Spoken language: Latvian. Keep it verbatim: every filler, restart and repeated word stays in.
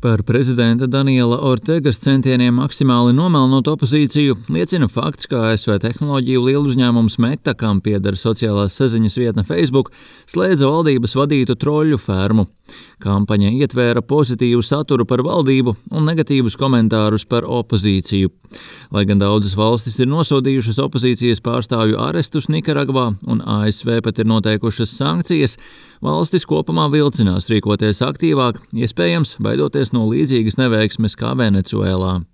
Par prezidenta Daniela Ortegas centieniem maksimāli nomelnot opozīciju liecina fakts, ka A S V tehnoloģiju lieluzņēmums Meta, kam pieder sociālās saziņas vietne Facebook, slēdza valdības vadītu troļļu fermu. Kampaņa ietvēra pozitīvu saturu par valdību un negatīvus komentārus par opozīciju. Lai gan daudzas valstis ir nosodījušas opozīcijas pārstāvju arestus Nikaragvā un A S V pat ir noteikušas sankcijas, valstis kopumā vilcinās rīkoties aktīvāk, iespējams baidoties no līdzīgas neveiksmes kā Venecuēlā.